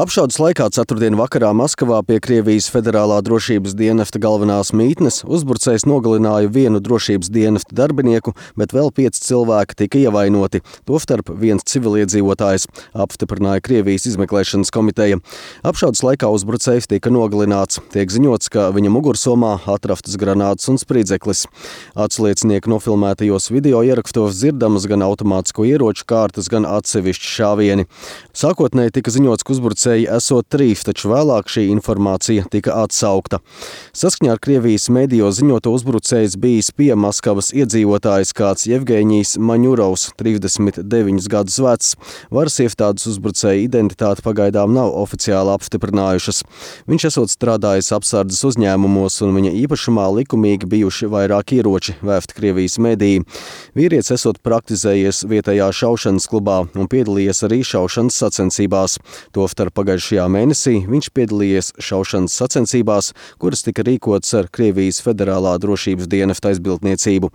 Apšaudes laikā ceturtdien vakarā Maskavā pie Krievijas Federālā drošības dienesta galvenās mītnes uzbrucējs nogalināja vienu drošības dienesta darbinieku, bet vēl 5 cilvēki tika ievainoti, tostarp viens civiliedzīvotājs, apstiprināja Krievijas izmeklēšanas komiteja. Apšaudes laikā uzbrucējs tika nogalināts. Tiek ziņots, ka viņa mugursomā atrastas granātas un spridzeklis. Atsliecinieku nofilmētajos video ierakstos dzirdamas gan automātisko ieroču kārtas, gan atsevišķi šāvieni. Sākotnēji tika ziņots, ka uzbrucēji esot 3, taču vēlāk šī informācija tika atsaukta. Saskaņā ar Krievijas mediju ziņoto uzbrucējs bijis pie Maskavas iedzīvotājs kāds Jevgeņijs Maņurovs, 39 gadus vecs. Varas iestādes uzbrucēja identitāti pagaidām nav oficiāli apstiprinājušas. Viņš esot strādājis apsardzes uzņēmumos un viņa īpašumā likumīgi bijuši vairāk ieroči, vēsta Krievijas mediji. Vīrietis esot praktizējies vietējā šaušanas klubā un piedalījies arī šaušanas sacensībās. Tostarp pagājušajā mēnesī viņš piedalījies šaušanas sacensībās, kuras tika rīkotas ar Krievijas Federālā drošības dienesta aizbildniecību.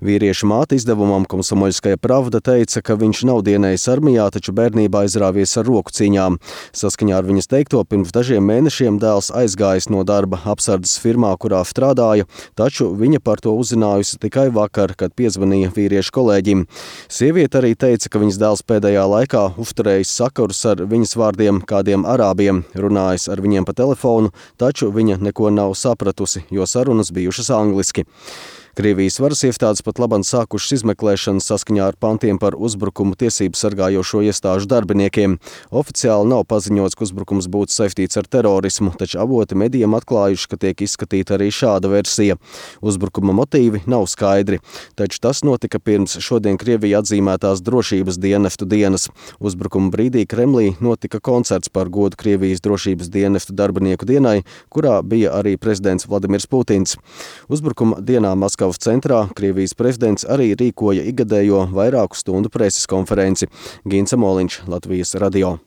Vīrieša māte izdevumam Komsomoļskaja Pravda teica, ka viņš nav dienējis armijā, taču bērnībā izrāvies ar roku cīņām. Saskaņā ar viņas teikto, pirms dažiem mēnešiem dēls aizgājis no darba apsardzes firmā, kurā strādāja, taču viņa par to uzzinājusi tikai vakar, kad piezvanīja vīrieša kolēģim. Sieviete arī teica, ka viņas dēls pēdējā laikā uzturējis sakarus ar viņas vārdiem kādiem arābiem, runājis ar viņiem pa telefonu, taču viņa neko nav sapratusi, jo sarunas bijušas angliski. Krievijas varas iestādes pat labāk sākušas izmeklēšanu saskaņā ar pantiem par uzbrukumu tiesību sargājošo iestāžu darbiniekiem. Oficiāli nav paziņots, ka uzbrukums būtu saistīts ar terorismu, taču avoti medijiem atklājuši, ka tiek izskatīta arī šāda versija. Uzbrukuma motīvi nav skaidri, taču tas notika pirms šodien Krievija atzīmētās drošības dienestu dienas. Uzbrukuma brīdī Kremlī notika koncerts par godu Krievijas drošības dienestu darbinieku dienai, kurā bija arī prezidents Vladimirs Putins. Uzbrukuma dienā Maskavas centrā Krievijas prezidents arī rīkoja ikgadējo vairāku stundu preses konferenci. Gins Amoliņš, Latvijas radio.